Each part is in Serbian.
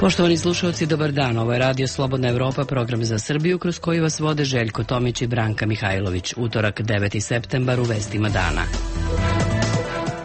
Poštovani slušalci, dobar dan. Ovo je Radio Slobodna Evropa, program za Srbiju, kroz koji vas vode Željko Tomić i Branka Mihajlović. Utorak, 9. septembar, u vestima dana.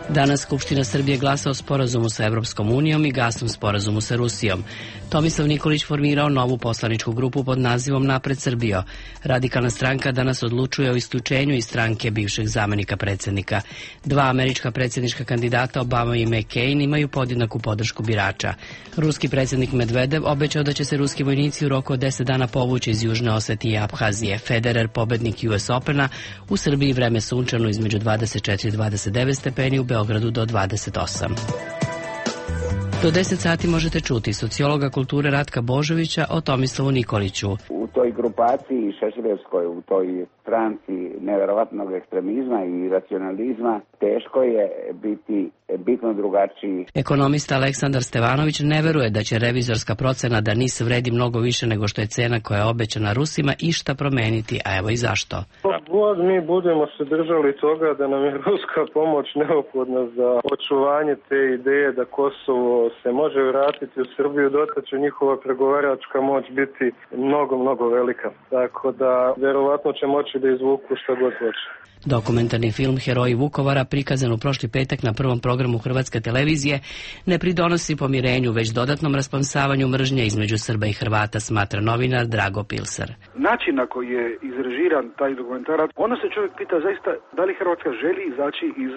Danas Skupština Srbije glasa o sporazumu sa Evropskom unijom i gasnom sporazumu sa Rusijom. Tomislav Nikolić formirao novu poslaničku grupu pod nazivom Napred Srbijo. Radikalna stranka danas odlučuje o isključenju iz stranke bivšeg zamenika predsjednika. Dva američka predsjednička kandidata, Obama i McCain, imaju podjednaku podršku birača. Ruski predsjednik Medvedev obećao da će se ruski vojnici u roku od 10 dana povući iz Južne Osetije i Abhazije. Federer, pobednik US Opena, u Srbiji vreme sunčano između 24 i 29 stepeni, u Beogradu do 28. Do 10 sati možete čuti sociologa kulture Ratka Božovića o Tomislavu Nikoliću. U toj grupaciji šešeljevskoj, u toj stranci neverovatnog ekstremizma i racionalizma, teško je biti bitno drugačiji. Ekonomista Aleksandar Stevanović ne veruje da će revizorska procena da NIS vredi mnogo više nego što je cena koja je obećana Rusima išta promeniti, a evo i zašto. God mi budemo se držali toga da nam je ruska pomoć neophodna za očuvanje te ideje da Kosovo se može vratiti u Srbiju, dotle će njihova pregovaračka moć biti mnogo velika. Tako da verovatno će moći da izvuku šta god hoće. Dokumentarni film Heroji Vukovara, prikazan u prošli petak na prvom programu Hrvatske televizije, ne pridonosi pomirenju, već dodatnom raspansavanju mržnje između Srba i Hrvata, smatra novinar Drago Pilsar. Način na koji je izrežiran taj dokumentarac, onda se čovjek pita zaista da li Hrvatska želi izaći iz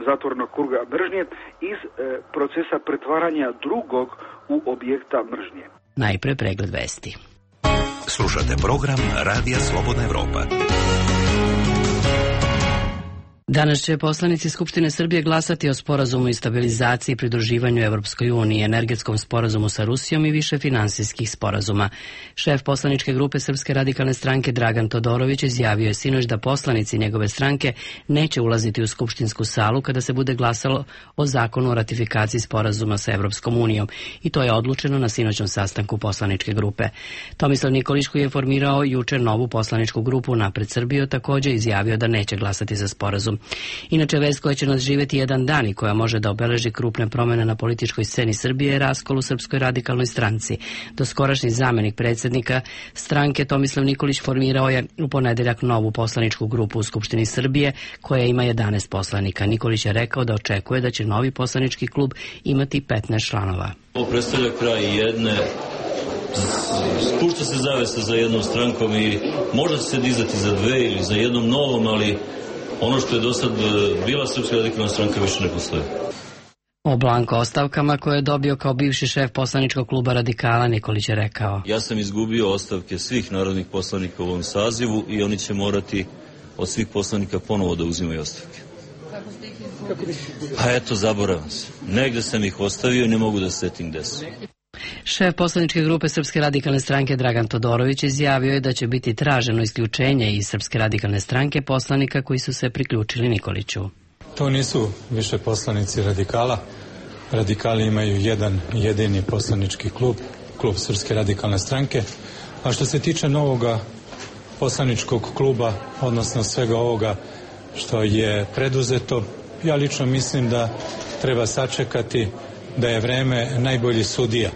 zatvornog kruga mržnje, iz procesa pretvaranja drugog u objekta mržnje. Najpre pregled vesti. Slušate program Radija Slobodna Evropa. Danas će poslanici Skupštine Srbije glasati o sporazumu i stabilizaciji i pridruživanju Evropskoj uniji, energetskom sporazumu sa Rusijom i više finansijskih sporazuma. Šef poslaničke grupe Srpske radikalne stranke Dragan Todorović izjavio je sinoć da poslanici njegove stranke neće ulaziti u skupštinsku salu kada se bude glasalo o zakonu o ratifikaciji sporazuma sa Evropskom unijom, i to je odlučeno na sinoćnom sastanku poslaničke grupe. Tomislav Nikolić, koji je formirao juče novu poslaničku grupu Napred Srbijo, također izjavio da neće glasati za sporazum. Inače, vest koja će nas živjeti jedan dan i koja može da obeleži krupne promjene na političkoj sceni Srbije je raskol u Srpskoj radikalnoj stranci. Doskorašnji zamenik predsjednika stranke Tomislav Nikolić formirao je u ponedeljak novu poslaničku grupu u Skupštini Srbije koja ima 11 poslanika. Nikolić je rekao da očekuje da će novi poslanički klub imati 15 članova. Ovo predstavlja kraj jedne, spušta se zavesa za jednom strankom i može se dizati za dve ili za jednom novom, ali ono što je do sad bila Srpska radikalna stranka više ne postoji. O blanko ostavkama koje je dobio kao bivši šef poslaničkog kluba Radikala, Nikolić je rekao: Ja sam izgubio ostavke svih narodnih poslanika u ovom sazivu i oni će morati od svih poslanika ponovo da uzimaju ostavke. Kako ste ih izgubili? Pa eto, zaboravim se. Negde sam ih ostavio i ne mogu da setim gde su. Šef poslaničke grupe Srpske radikalne stranke Dragan Todorović izjavio je da će biti traženo isključenje iz Srpske radikalne stranke poslanika koji su se priključili Nikoliću. To nisu više poslanici Radikala. Radikali imaju jedan jedini poslanički klub, klub Srpske radikalne stranke. A što se tiče novoga poslaničkog kluba, odnosno svega ovoga što je preduzeto, ja lično mislim da treba sačekati da je vreme najbolji sudija.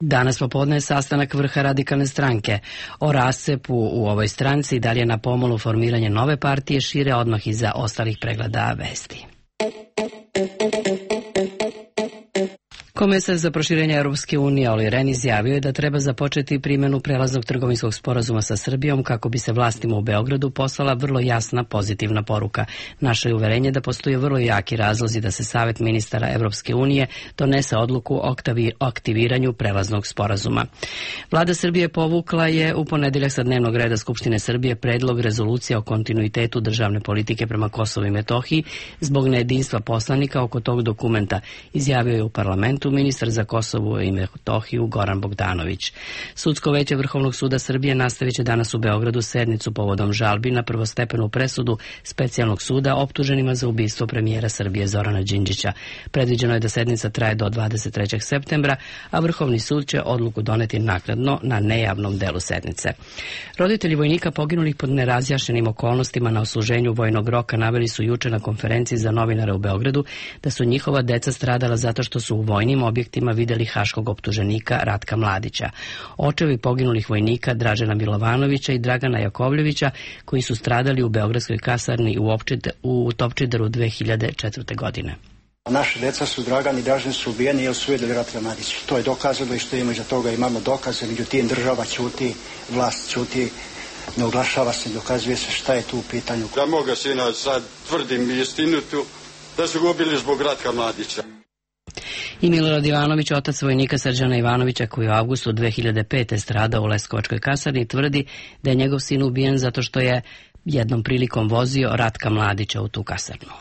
Danas popodne je sastanak vrha radikalne stranke. O rascepu u ovoj stranci i da li je na pomolu formiranje nove partije šire odmah iza ostalih pregleda vesti. Komesar za proširenje Europske unije Olli Rehn izjavio je da treba započeti primjenu prelaznog trgovinskog sporazuma sa Srbijom kako bi se vlastima u Beogradu poslala vrlo jasna pozitivna poruka. Naše je uverenje da postoje vrlo jaki razlozi da se Savet ministara Europske unije donese odluku o aktiviranju prelaznog sporazuma. Vlada Srbije povukla je u ponedeljak sa dnevnog reda Skupštine Srbije predlog rezolucije o kontinuitetu državne politike prema Kosovu i Metohiji zbog nejedinstva poslanika oko tog dokumenta, izjavio je u parlamentu ministar za Kosovo i Metohiju Goran Bogdanović. Sudsko veće Vrhovnog suda Srbije nastavit će danas u Beogradu sednicu povodom žalbi na prvostepenu presudu specijalnog suda optuženima za ubistvo premijera Srbije Zorana Đinđića. Predviđeno je da sednica traje do 23. septembra, a Vrhovni sud će odluku doneti naknadno na nejavnom delu sednice. Roditelji vojnika poginulih pod nerazjašnjenim okolnostima na odsluženju vojnog roka naveli su juče na konferenciji za novinare u Beogradu da su njihova deca stradala zato što su u vojnim vojnim objektima videli haškog optuženika Ratka Mladića. Očevi poginulih vojnika Dražena Milovanovića i Dragana Jakovljevića, koji su stradali u beogradskoj kasarni u Topčideru 2004. godine. Naše deca su, Dragan i Dražen, su ubijeni jer su vidjeli Ratka Mladića. To je dokazano i što imamo iza toga, imamo dokaze, međutim država ćuti, vlast ćuti, ne oglašava se, dokazuje se šta je tu u pitanju. Ja moga sina sad tvrdim istinu tu, da su ga ubili zbog Ratka Mladića. I Milorad Ivanović, otac vojnika Srđana Ivanovića, koji u avgustu 2005. stradao u Leskovačkoj kasarni, tvrdi da je njegov sin ubijen zato što je jednom prilikom vozio Ratka Mladića u tu kasarnu.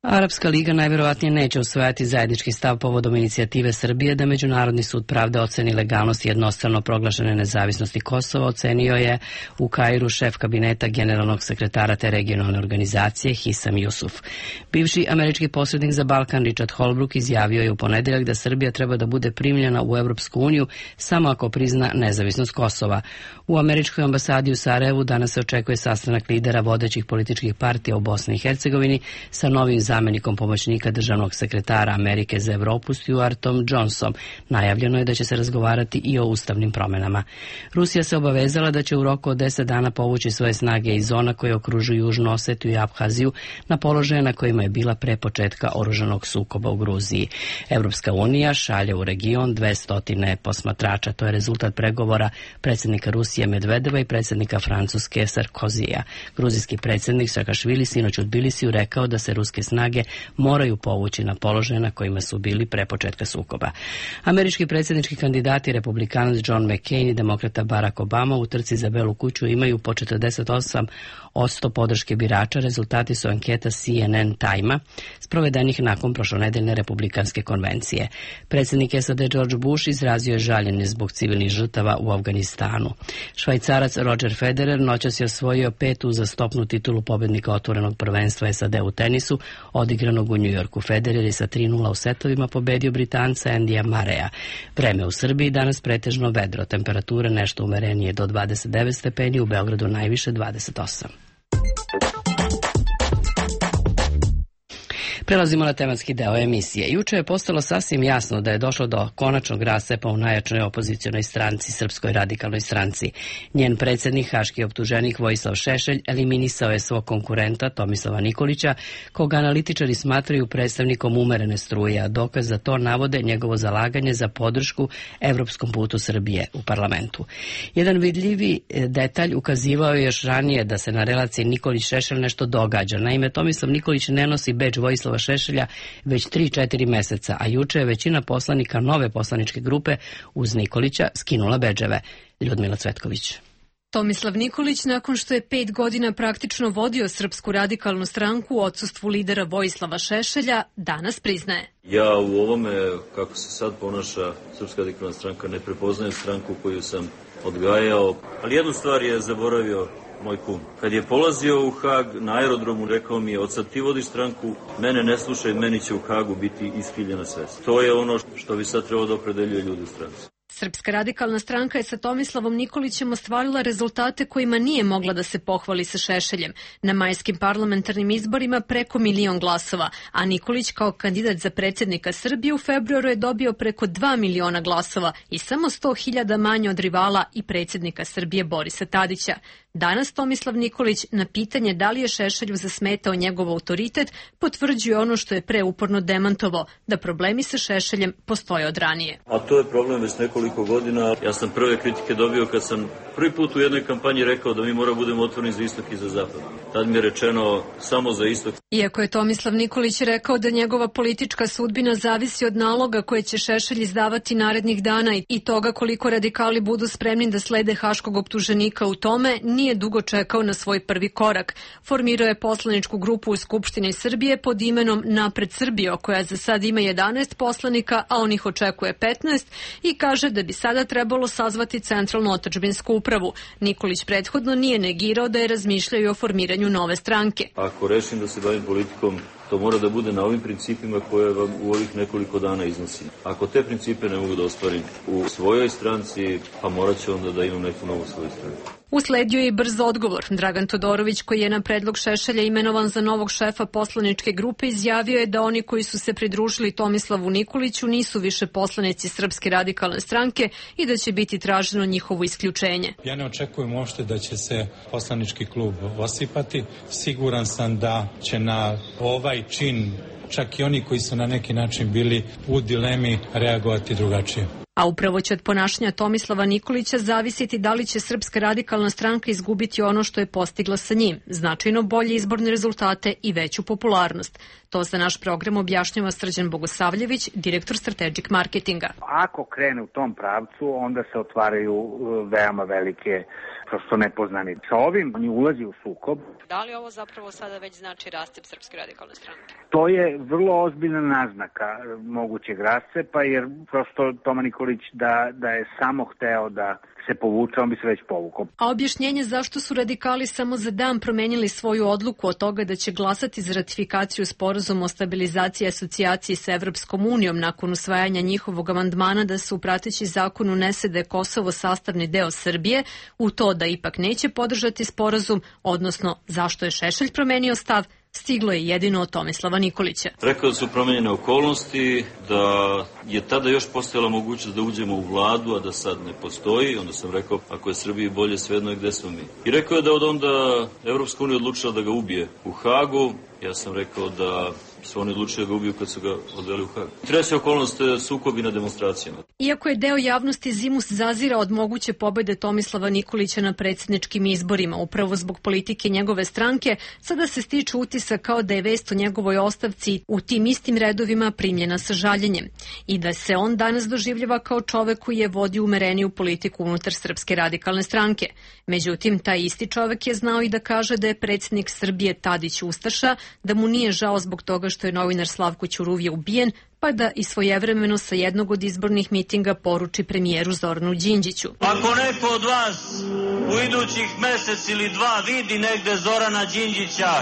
Arapska liga najverovatnije neće usvajati zajednički stav povodom inicijative Srbije da Međunarodni sud pravde oceni legalnost jednostrano proglašene nezavisnosti Kosova, ocenio je u Kairu šef kabineta generalnog sekretara te regionalne organizacije Hisam Jusuf. Bivši američki posrednik za Balkan Richard Holbrooke izjavio je u ponedeljak da Srbija treba da bude primljena u Evropsku uniju samo ako prizna nezavisnost Kosova. U američkoj ambasadi u Sarajevu danas se očekuje sastanak lidera vodećih političkih partija u Bosni i Hercegovini sa novim zamenikom pomoćnika državnog sekretara Amerike za Evropu Stuartom Johnsonom. Najavljeno je da će se razgovarati i o ustavnim promenama. Rusija se obavezala da će u roku od 10 dana povući svoje snage iz zona koje okružuju Južnu Osetiju i Abhaziju na položaje na kojima je bila pre početka oružanog sukoba u Gruziji. Evropska unija šalje u region 200 posmatrača. To je rezultat pregovora predsjednika Rusije Medvedeva i predsjednika Francuske Sarkozija. Gruzijski predsjednik Sakašvili sinoć u Tbilisiju rekao da se ruske snage moraju povući na položaje na kojima su bili pre početka sukoba. Američki predsjednički kandidati, republikanac John McCain i demokrata Barack Obama u trci za Belu kuću imaju po 48% podrške birača. Rezultati su anketa CNN Time-a sprovedenih nakon prošlonedeljne republikanske konvencije. Predsjednik SAD George Bush izrazio je žaljenje zbog civilnih žrtava u Afganistanu. Švajcarac Roger Federer noćas je osvojio 5. uzastopnu titulu pobednika otvorenog prvenstva SAD u tenisu, odigranog u Njujorku. Federer je sa 3:0 u setovima pobedio Britanca Andyja Murraya. Vreme u Srbiji danas pretežno vedro, temperature nešto umerenije do 29 stepeni, u Beogradu najviše 28. Prelazimo na tematski deo emisije. Juče je postalo sasvim jasno da je došlo do konačnog rascepa u najjačoj opozicionoj stranci, Srpskoj radikalnoj stranci. Njen predsjednik, haški optuženik Vojislav Šešelj, eliminisao je svog konkurenta Tomislava Nikolića, koga analitičari smatraju predstavnikom umerene struje, a dokaz za to navode njegovo zalaganje za podršku evropskom putu Srbije u parlamentu. Jedan vidljivi detalj ukazivao je još ranije da se na relaciji Nikolić-Šešelj nešto događa. Naime, Tomislav Nikolić ne nosi bedž Vojislava Šešelja već 3-4 meseca, a juče je većina poslanika nove poslaničke grupe uz Nikolića skinula bedževe. Ljudmila Cvetković. Tomislav Nikolić, nakon što je 5 godina praktično vodio Srpsku radikalnu stranku u odsustvu lidera Vojislava Šešelja, danas priznaje. Ja u ovome, kako se sad ponaša Srpska radikalna stranka, ne prepoznajem stranku koju sam odgajao, ali jednu stvar je zaboravio moj kum. Kad je polazio u Hag na aerodromu, rekao mi je: od sad ti vodiš stranku, mene ne slušaj, meni će u Hagu biti iskiljena svest. To je ono što bi sad trebalo da opredeljuje ljudi u stranci. Srpska radikalna stranka je sa Tomislavom Nikolićem ostvarila rezultate kojima nije mogla da se pohvali sa Šešeljem. Na majskim parlamentarnim izborima preko 1 milion glasova, a Nikolić kao kandidat za predsjednika Srbije u februaru je dobio preko 2 miliona glasova i samo 100.000 manje od rivala i predsjednika Srbije Borisa Tadića. Danas Tomislav Nikolić na pitanje da li je Šešelju zasmetao njegov autoritet potvrđuje ono što je preuporno demantovao, da problemi sa Šešeljem postoje od ranije. A to je problem već nekoliko godina. Ja sam prve kritike dobio kad sam prvi put u jednoj kampanji rekao da mi moramo budemo otvoreni za istok i za zapad. Tad mi je rečeno samo za istok. Iako je Tomislav Nikolić rekao da njegova politička sudbina zavisi od naloga koje će Šešelj izdavati narednih dana i toga koliko radikali budu spremni da slede haškog optuženika u tome, nije dugo čekao na svoj prvi korak. Formirao je poslaničku grupu u Skupštini Srbije pod imenom Napred Srbijo, koja za sad ima 11 poslanika, a on ih očekuje 15 i kaže da bi sada trebalo sazvati centralnu otadžbinsku upravu. Nikolić prethodno nije negirao da je razmišljao o formiranju nove stranke. Ako rešim da se bavim politikom, To mora da bude na ovim principima koje vam u ovih nekoliko dana iznosim. Ako te principe ne mogu da ostvarim u svojoj stranci, pa morat ću onda da imam neku novu svoju stranku. Usledio je i brz odgovor. Dragan Todorović, koji je na predlog Šešelja imenovan za novog šefa poslaničke grupe, izjavio je da oni koji su se pridružili Tomislavu Nikoliću nisu više poslanici Srpske radikalne stranke i da će biti traženo njihovo isključenje. Ja ne očekujem uopšte da će se poslanički klub osipati. Siguran sam da će na ovaj čin čak i oni koji su na neki način bili u dilemi reagovati drugačije. A upravo će od ponašanja Tomislava Nikolića zavisiti da li će Srpska radikalna stranka izgubiti ono što je postigla sa njim, značajno bolje izborne rezultate i veću popularnost. To za naš program objašnjava Srđan Bogosavljević, direktor Strategic marketinga. Ako krene u tom pravcu, onda se otvaraju veoma velike prosto nepoznanice. Sa ovim oni ulazi u sukob. Da li ovo zapravo sada već znači rascep Srpske radikalne stranke? To je vrlo ozbiljna naznaka mogućeg rascepa, jer prosto Toma Nikolić da je samo hteo da se povuče, on bi se već povukao. A objašnjenje zašto su radikali samo za dan promenili svoju odluku od toga da će glasati za ratifikaciju sporazuma o stabilizaciji i asocijaciji sa Evropskom unijom nakon usvajanja njihovog amandmana da se u prateći zakon unese da je Kosovo sastavni deo Srbije, u to da ipak neće podržati sporazum, odnosno zašto je Šešelj promenio stav, stiglo je jedino od Tomislava Nikolića. Rekao da su promenjene okolnosti, da je tada još postojala mogućnost da uđemo u vladu, a da sad ne postoji. Onda sam rekao, ako je Srbiji bolje, svejedno je gde smo mi. I rekao je da od onda Evropska unija odlučila da ga ubije u Hagu. Ja sam rekao da su oni odlučili da ga ubiju kad su ga odveli u Hag. Treća okolnost je sukobi na demonstracijama. Iako je deo javnosti zimus zazira od moguće pobede Tomislava Nikolića na predsjedničkim izborima, upravo zbog politike njegove stranke, sada se stiče utisak kao da je vest o njegovoj ostavci u tim istim redovima primljena sa žaljenjem i da se on danas doživljava kao čovek koji je vodio umereniju politiku unutar Srpske radikalne stranke. Međutim, taj isti čovek je znao i da kaže da je predsjednik Srbije Tadić ustaša, da mu nije žao zbog toga što je novinar Slavko Ćuruvije ubijen, pa da i svojevremeno sa jednog od izbornih mitinga poruči premijeru Zoranu Đinđiću. Ako neko od vas u idućih mesec ili dva vidi negde Zorana Đinđića,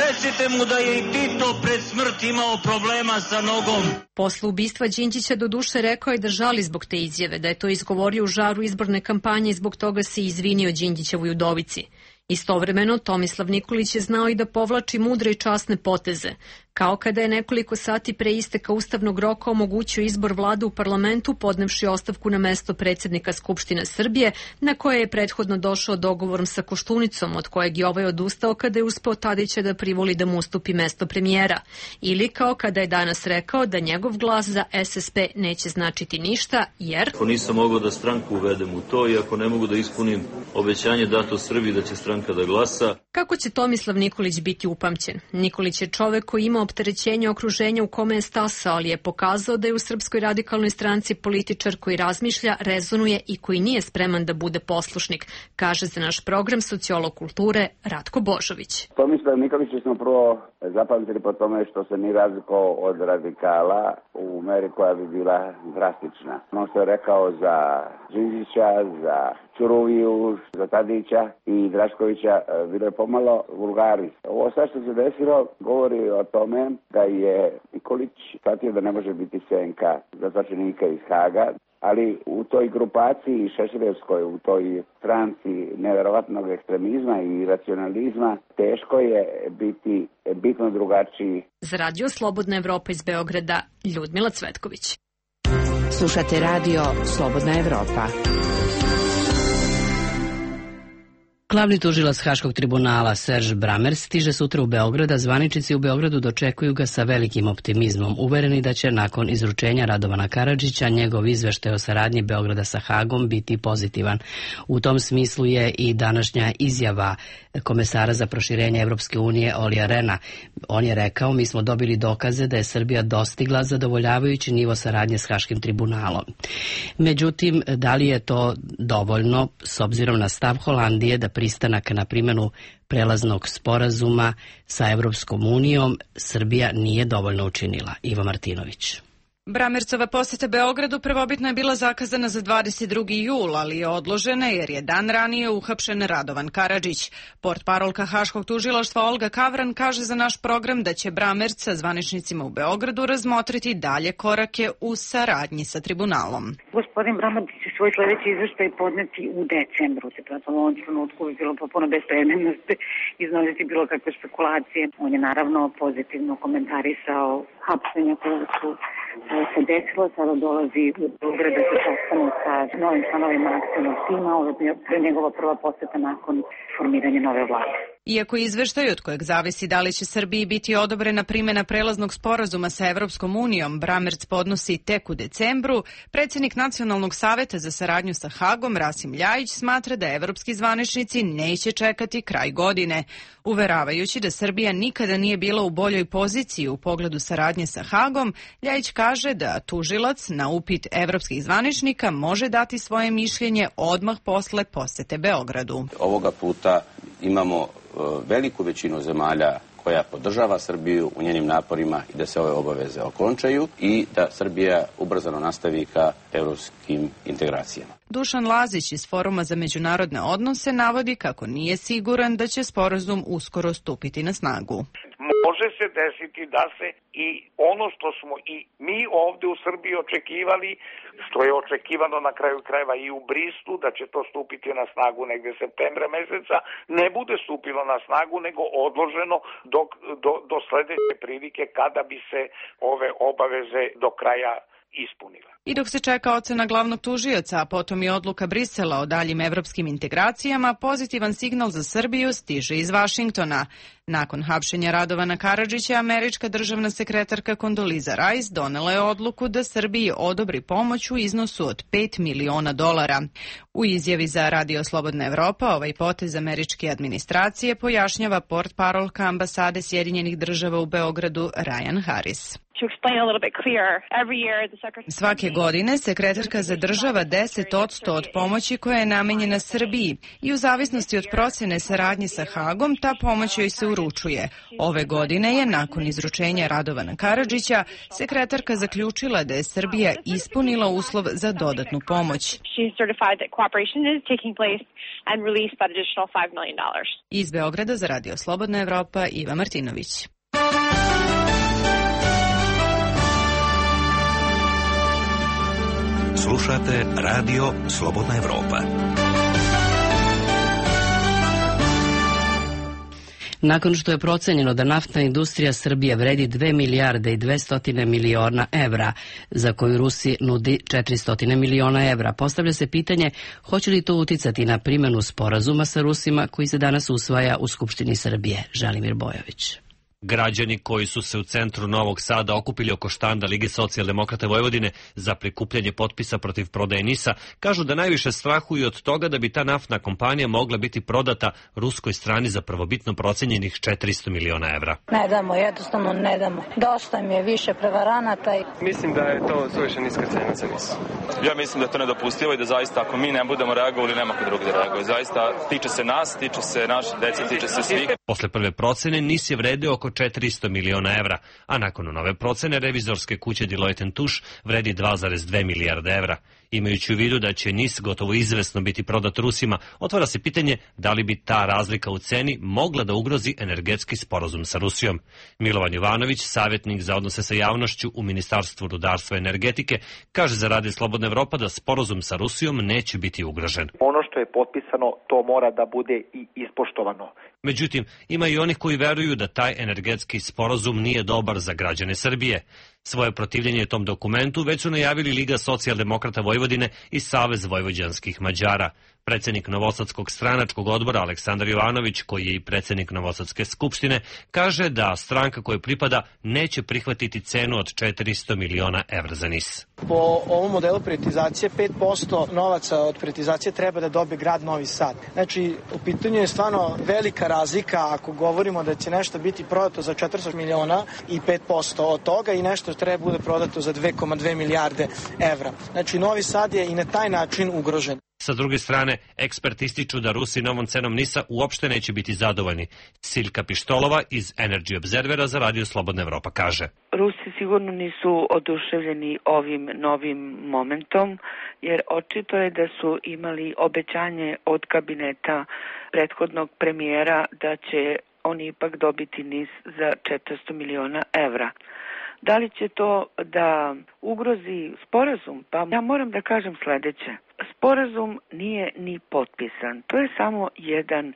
recite mu da je i Tito pred smrt imao problema sa nogom. Posle ubistva Đinđića doduše rekao je da žali zbog te izjave, da je to izgovorio u žaru izborne kampanje i zbog toga se izvinio Đinđićevoj udovici. Istovremeno, Tomislav Nikolić je znao i da povlači mudre i časne poteze, kao kada je nekoliko sati pre isteka ustavnog roka omogućio izbor vlade u parlamentu podnevši ostavku na mesto predsjednika Skupštine Srbije, na koje je prethodno došao dogovorom sa Koštunicom, od kojeg je ovaj odustao kada je uspeo Tadića da privoli da mu ustupi mesto premijera. Ili kao kada je danas rekao da njegov glas za SSP neće značiti ništa, jer... Ako nisam mogao da stranku uvedem u to i ako ne mogu da ispunim obećanje dato Srbiji da će stranka da glasa... Kako će Tomislav Nikolić biti upamćen? Nikolić je čovek koji ima opterećenje okruženja u kome je stasao, ali je pokazao da je u Srpskoj radikalnoj stranci političar koji razmišlja, rezonuje i koji nije spreman da bude poslušnik, kaže za naš program sociolog kulture Ratko Božović. Tomislav Nikolić smo prvo zapamtili po tome što se nije razlikovao od radikala u meri koja bi bila drastična. Ono što je rekao za Đinđića, za Ćuruviju, za Tadića i Draškovića bilo je pomalo vulgari. Ovo sve što se desilo govori o tome da je Nikolić shvatio da ne može biti senka zatočenika iz Haga, ali u toj grupaciji šešeljevskoj, u toj stranci neverovatnog ekstremizma i racionalizma, teško je biti bitno drugačiji. Za Radio Slobodna Evropa iz Beograda, Ljudmila Cvetković. Slušate Radio Slobodna Evropa. Glavni tužilac Haškog tribunala Serž Bramer stiže sutra u Beograd, a zvaničnici u Beogradu dočekuju ga sa velikim optimizmom, uvereni da će nakon izručenja Radovana Karadžića njegov izveštaj o saradnji Beograda sa Hagom biti pozitivan. U tom smislu je i današnja izjava komesara za proširenje Evropske unije Olija Rena. On je rekao, mi smo dobili dokaze da je Srbija dostigla zadovoljavajući nivo saradnje s Haškim tribunalom. Međutim, da li je to dovoljno s obzirom na stav Holandije da pristanak na primjenu prelaznog sporazuma sa Evropskom unijom Srbija nije dovoljno učinila? Ivo Martinović. Bramercova poseta Beogradu prvobitno je bila zakazana za 22. jul, ali je odložena jer je dan ranije uhapšen Radovan Karadžić. Portparolka Haškog tužilaštva Olga Kavran kaže za naš program da će Bramerc sa zvaničnicima u Beogradu razmotriti dalje korake u saradnji sa tribunalom. Gospodin Bramerc će svoj sledeći izveštaj podneti u decembru. U ovom trenutku bi bilo popuno bespredmetno iznositi bilo kakve spekulacije. On je naravno pozitivno komentarisao hapšenja koje su se desilo, sada dolazi u Beograd da se sastane sa novim članovima akcijnog tima, ovo je njegova prva poseta nakon formiranja nove vlade. Iako izveštaj od kojeg zavisi da li će Srbiji biti odobrena primjena prelaznog sporazuma sa Evropskom unijom, Bramerc podnosi tek u decembru, predsjednik Nacionalnog saveta za saradnju sa Hagom, Rasim Ljajić, smatra da evropski zvaničnici neće čekati kraj godine. Uveravajući da Srbija nikada nije bila u boljoj poziciji u pogledu saradnje sa Hagom, Ljajić kaže da tužilac na upit evropskih zvaničnika može dati svoje mišljenje odmah posle posete Beogradu. Ovoga puta imamo veliku većinu zemalja koja podržava Srbiju u njenim naporima i da se ove obaveze okončaju i da Srbija ubrzano nastavi ka evropskim integracijama. Dušan Lazić iz Foruma za međunarodne odnose navodi kako nije siguran da će sporazum uskoro stupiti na snagu. Može se desiti da se i ono što smo i mi ovde u Srbiji očekivali, što je očekivano na kraju krajeva i u Brislu, da će to stupiti na snagu negde septembra meseca, ne bude stupilo na snagu, nego odloženo do sledeće prilike kada bi se ove obaveze do kraja ispunile. I dok se čeka ocena glavnog tužioca, a potom i odluka Brisela o daljim evropskim integracijama, pozitivan signal za Srbiju stiže iz Vašingtona. Nakon hapšenja Radovana Karadžića, američka državna sekretarka Kondoliza Rice donela je odluku da Srbiji odobri pomoć u iznosu od $5 miliona. U izjavi za Radio Slobodna Evropa ovaj potez američke administracije pojašnjava portparolka ambasade Sjedinjenih država u Beogradu Ryan Harris. Svake godine sekretarka zadržava 10% od pomoći koja je namenjena Srbiji i u zavisnosti od procene saradnje sa Hagom ta pomoć joj se uručuje. Ove godine je, nakon izručenja Radovana Karadžića, sekretarka zaključila da je Srbija ispunila uslov za dodatnu pomoć. Iz Beograda za Radio Slobodna Evropa, Iva Martinović. Slušate Radio Slobodna Evropa. Nakon što je procenjeno da naftna industrija Srbije vredi 2 milijarde i 200 miliona evra, za koju Rusi nudi 400 miliona evra, postavlja se pitanje hoće li to uticati na primjenu sporazuma sa Rusima koji se danas usvaja u Skupštini Srbije. Želimir Bojović. Građani koji su se u centru Novog Sada okupili oko štanda Lige socijaldemokrata Vojvodine za prikupljanje potpisa protiv prodaje NIS-a kažu da najviše strahuju od toga da bi ta naftna kompanija mogla biti prodata ruskoj strani za prvobitno procenjenih 400 miliona evra. Ne damo, jednostavno ne damo. Dosta mi je više prevaranata. Mislim da je to suviše niska cena za NIS. Ja mislim da je to nedopustivo i da zaista ako mi ne budemo reagovali, nema ko drugi da reaguje. Zaista tiče se nas, tiče se naše dece, tiče se svih. Posle prve procene NIS je vredeo oko 400 miliona evra, a nakon nove procene revizorske kuće Deloitte & Touche vredi 2,2 milijarde evra. Imajući u vidu da će NIS gotovo izvesno biti prodat Rusima, otvara se pitanje da li bi ta razlika u ceni mogla da ugrozi energetski sporazum sa Rusijom. Milovan Jovanović, savjetnik za odnose sa javnošću u Ministarstvu rudarstva i energetike, kaže za Radio Slobodna Evropa da sporazum sa Rusijom neće biti ugrožen. Ono što je potpisano, to mora da bude i ispoštovano. Međutim, ima i onih koji veruju da taj energetski sporazum nije dobar za građane Srbije. Svoje protivljenje tom dokumentu već su najavili Liga socijaldemokrata Vojvodine i Savez vojvođanskih Mađara. Predsjednik Novosadskog stranačkog odbora Aleksandar Jovanović, koji je i predsjednik Novosadske skupštine, kaže da stranka kojoj pripada neće prihvatiti cenu od 400 miliona evra za NIS. Po ovom modelu privatizacije 5% novaca od privatizacije treba da dobije grad Novi Sad. Znači, u pitanju je stvarno velika razlika ako govorimo da će nešto biti prodato za 400 miliona i 5% od toga i nešto treba bude prodato za 2,2 milijarde evra. Znači, Novi Sad je i na taj način ugrožen. Sa druge strane, eksperti ističu da Rusi novom cenom NIS-a uopšte neće biti zadovoljni. Siljka Pištolova iz Energy Observera za Radio Slobodna Evropa kaže: Rusi sigurno nisu oduševljeni ovim novim momentom, jer očito je da su imali obećanje od kabineta prethodnog premijera da će oni ipak dobiti NIS za 400 miliona evra. Da li će to da ugrozi sporazum? Pa ja moram da kažem sledeće. Sporazum nije ni potpisan. To je samo jedan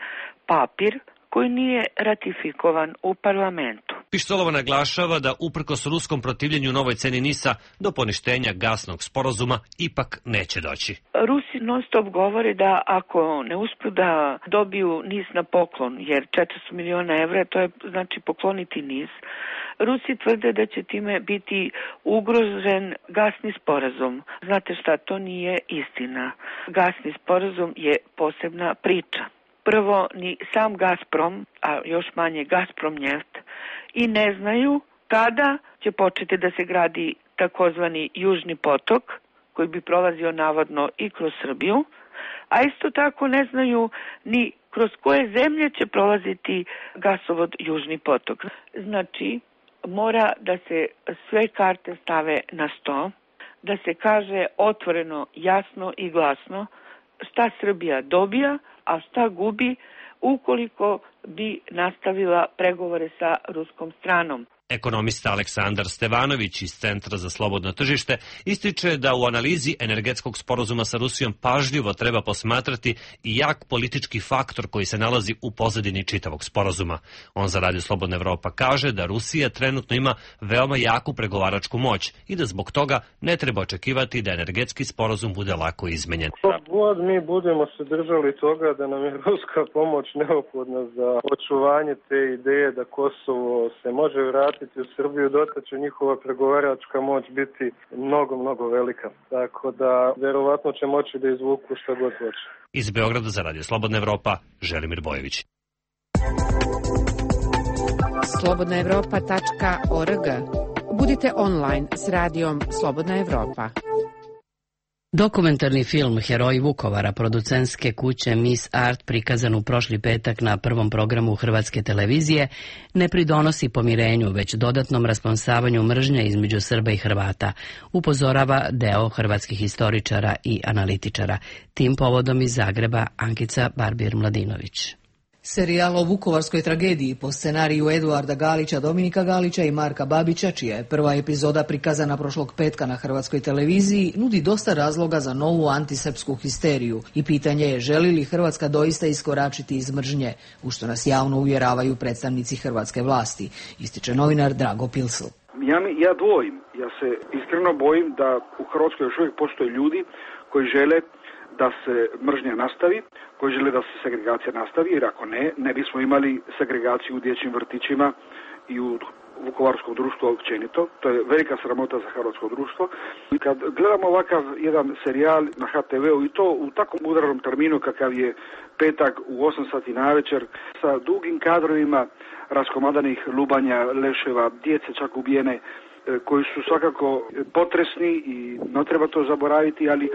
papir koji nije ratifikovan u parlamentu. Pištolova naglašava da uprkos ruskom protivljenju novoj ceni NIS-a do poništenja gasnog sporazuma ipak neće doći. Rusi non stop govore da ako ne uspeju da dobiju NIS na poklon, jer 400 miliona evra, to je znači pokloniti NIS, Rusi tvrde da će time biti ugrožen gasni sporazum. Znate šta, to nije istina. Gasni sporazum je posebna priča. Prvo, ni sam Gazprom, a još manje Gazprom Neft, i ne znaju kada će početi da se gradi takozvani Južni potok, koji bi prolazio navodno i kroz Srbiju, a isto tako ne znaju ni kroz koje zemlje će prolaziti gasovod Južni potok. Znači, mora da se sve karte stave na sto, da se kaže otvoreno, jasno i glasno šta Srbija dobija, a šta gubi ukoliko bi nastavila pregovore sa ruskom stranom. Ekonomista Aleksandar Stevanović iz Centra za slobodno tržište ističe da u analizi energetskog sporazuma sa Rusijom pažljivo treba posmatrati i jak politički faktor koji se nalazi u pozadini čitavog sporazuma. On za Radio Slobodna Evropa kaže da Rusija trenutno ima veoma jaku pregovaračku moć i da zbog toga ne treba očekivati da energetski sporazum bude lako izmenjen. God mi budemo se držali toga da nam je ruska pomoć neophodna za očuvanje te ideje da Kosovo se može vratiti u Srbiju, dotle će njihova pregovaračka moć biti mnogo velika. Tako da verovatno će moći da izvuku šta god hoće. Iz Beograda za Radio Slobodna Evropa, Želimir Bojević. slobodnaevropa.org. Budite online s radijom Slobodna Evropa. Dokumentarni film Heroji Vukovara producentske kuće Miss Art prikazan u prošli petak na prvom programu Hrvatske televizije ne pridonosi pomirenju, već dodatnom rasponsavanju mržnje između Srba i Hrvata, upozorava deo hrvatskih historičara i analitičara. Tim povodom iz Zagreba Ankica Barbir-Mladinović. Serijal o vukovarskoj tragediji po scenariju Eduarda Galića, Dominika Galića i Marka Babića, čija je prva epizoda prikazana prošlog petka na Hrvatskoj televiziji, nudi dosta razloga za novu antisrpsku histeriju i pitanje je želi li Hrvatska doista iskoračiti iz mržnje, u što nas javno uvjeravaju predstavnici hrvatske vlasti, ističe novinar Drago Pilsl. Ja dvojim, ja se iskreno bojim da u Hrvatskoj još uvijek postoje ljudi koji žele da se mržnja nastavi, koji žele da se segregacija nastavi, jer ako ne bismo imali segregaciju u dječjim vrtićima i u vukovarskom društvu općenito. To je velika sramota za hrvatsko društvo. I kad gledamo ovakav jedan serijal na HTV-u i to u takvom udarnom terminu kakav je petak u 8 sati navečer sa dugim kadrovima raskomadanih lubanja, leševa, djece čak ubijene, koji su svakako potresni i ne treba to zaboraviti, ali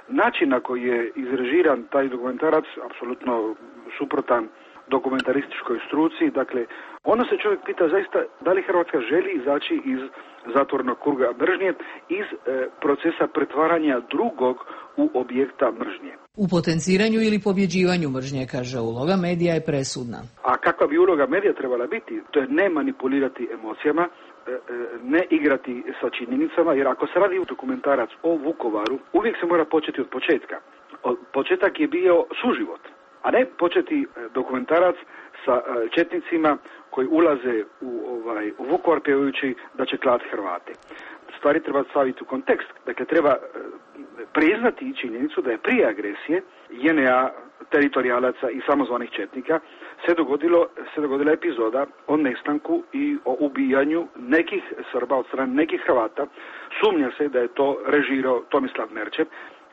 način na koji je izrežiran taj dokumentarac, apsolutno suprotan dokumentarističkoj struci, dakle, onda se čovjek pita zaista da li Hrvatska želi izaći iz zatvornog kruga mržnje, iz procesa pretvaranja drugog u objekta mržnje. U potenciranju ili pobjeđivanju mržnje, kaže, uloga medija je presudna. A kakva bi uloga medija trebala biti? To je ne manipulirati emocijama, ne igrati sa činjenicama, jer ako se radi dokumentarac o Vukovaru, uvijek se mora početi od početka. Početak je bio suživot, a ne početi dokumentarac sa četnicima koji ulaze u Vukovar pjevajući da će klati Hrvate. Stvari treba staviti u kontekst. Dakle, treba priznati činjenicu da je prije agresije JNA, teritorijalaca i samozvanih četnika se dogodila epizoda o nestanku i o ubijanju nekih Srba od strane nekih Hrvata. Sumnja se da je to režirao Tomislav Merčep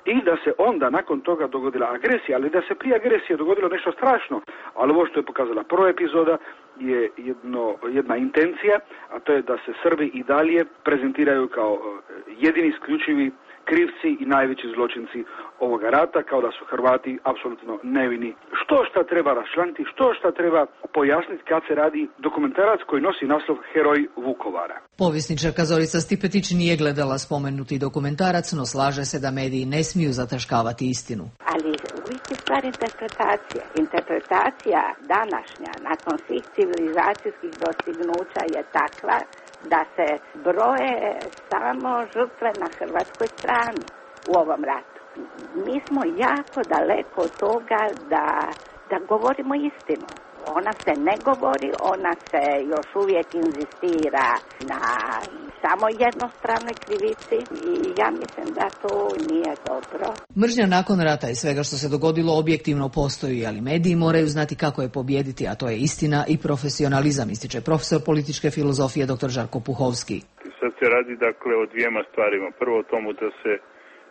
i da se onda nakon toga dogodila agresija, ali da se prije agresije dogodilo nešto strašno. Ali ovo što je pokazala prva epizoda je jedna intencija, a to je da se Srbi i dalje prezentiraju kao jedini isključivi krivci i najveći zločinci ovoga rata, kao da su Hrvati apsolutno nevini. Što treba raščlaniti, što treba pojasniti kad se radi dokumentarac koji nosi naslov Heroj Vukovara. Povjesničarka Zorica Stipetić nije gledala spomenuti dokumentarac, no slaže se da mediji ne smiju zataškavati istinu. Ali uvijek je stvar interpretacija. Interpretacija današnja, nakon svih civilizacijskih dostignuća je takva da se broje samo žrtve na hrvatskoj strani u ovom ratu. Mi smo jako daleko od toga da govorimo istinu. Ona se ne govori, ona se još uvijek inzistira na samo jednostranoj krivici i ja mislim da to nije dobro. Mržnja nakon rata i svega što se dogodilo objektivno postoji, ali mediji moraju znati kako je pobijediti, a to je istina i profesionalizam, ističe profesor političke filozofije dr. Žarko Puhovski. Sad se radi dakle o dvijema stvarima. Prvo o tomu da se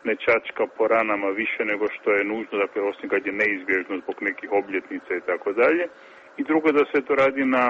ne čačka po ranama više nego što je nužno, dakle osim kad je neizbježno zbog nekih obljetnica i tako dalje. I drugo da se to radi na,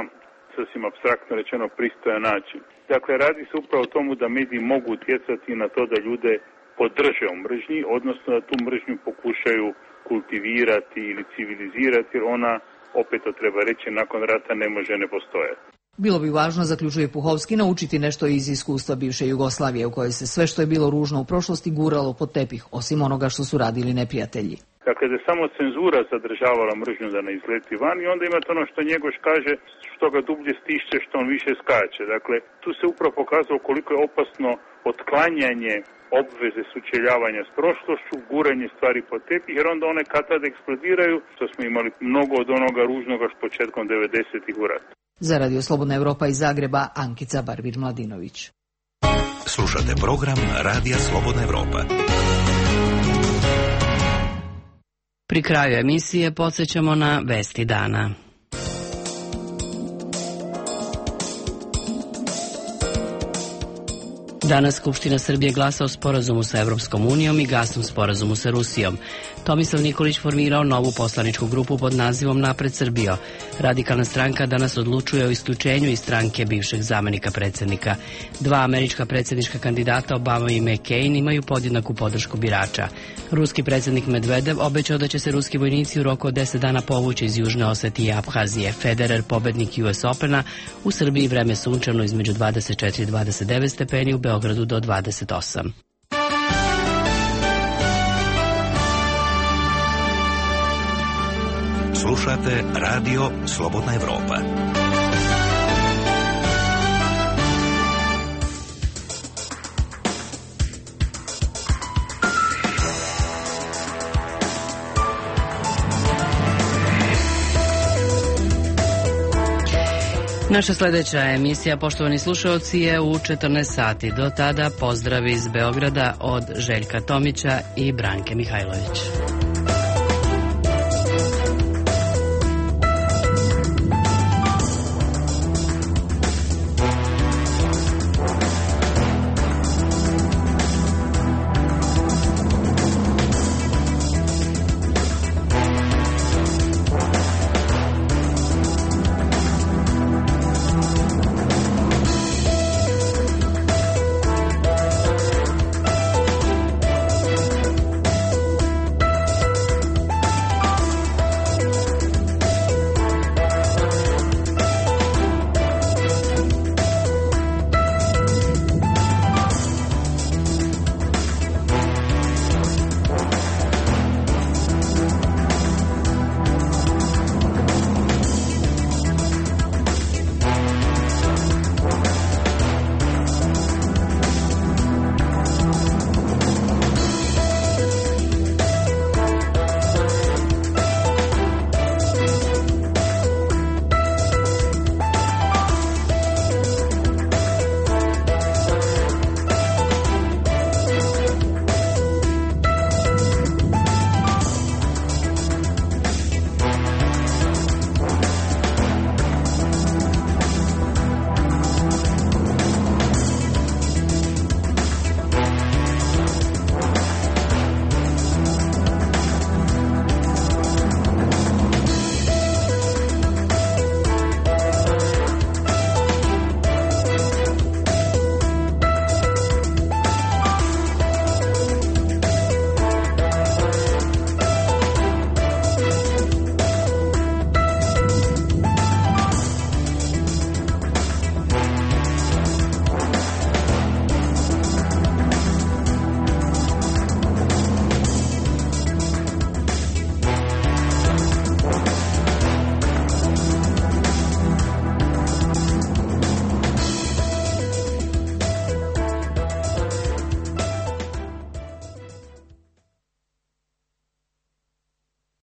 sasvim apstraktno rečeno, pristojan način. Dakle, radi se upravo o tomu da mediji mogu utjecati na to da ljude podrže u mržnji, odnosno da tu mržnju pokušaju kultivirati ili civilizirati, jer ona, opet to treba reći, nakon rata ne može ne postojati. Bilo bi važno, zaključuje Puhovski, naučiti nešto iz iskustva bivše Jugoslavije, u kojoj se sve što je bilo ružno u prošlosti guralo pod tepih, osim onoga što su radili neprijatelji. Dakle, da je samo cenzura zadržavala mržnju da ne izleti van i onda imate ono što Njegoš kaže, što ga dublje stišće, što on više skače. Dakle, tu se upravo pokazalo koliko je opasno otklanjanje obveze sučeljavanja s prošlošću, guranje stvari pod tepih, jer onda one kad tad eksplodiraju, što smo imali mnogo od onoga ružnoga što početkom 90-ih u ratu. Za Radio Slobodna Evropa iz Zagreba, Ankica Barbir-Mladinović. Slušate program Radija Slobodna Evropa. Pri kraju emisije podsjećamo na vesti dana. Danas Skupština Srbije glasa o sporazumu sa Evropskom unijom i gasnom sporazumu sa Rusijom. Tomislav Nikolić formirao novu poslaničku grupu pod nazivom Napred Srbijo. Radikalna stranka danas odlučuje o isključenju iz stranke bivšeg zamenika predsjednika. Dva američka predsjednička kandidata, Obama i McCain, imaju podjednaku podršku birača. Ruski predsjednik Medvedev obećao da će se ruski vojnici u roku od 10 dana povući iz Južne Osetije i Abhazije. Federer, pobednik US Opena, u Srbiji vreme sunčano između 24 i 29 stepeni, u Beogradu do 28. Slušate Radio Slobodna Evropa. Naša sljedeća emisija, poštovani slušalci, je u 14 sati. Do tada pozdrav iz Beograda od Željka Tomića i Branke Mihajlović.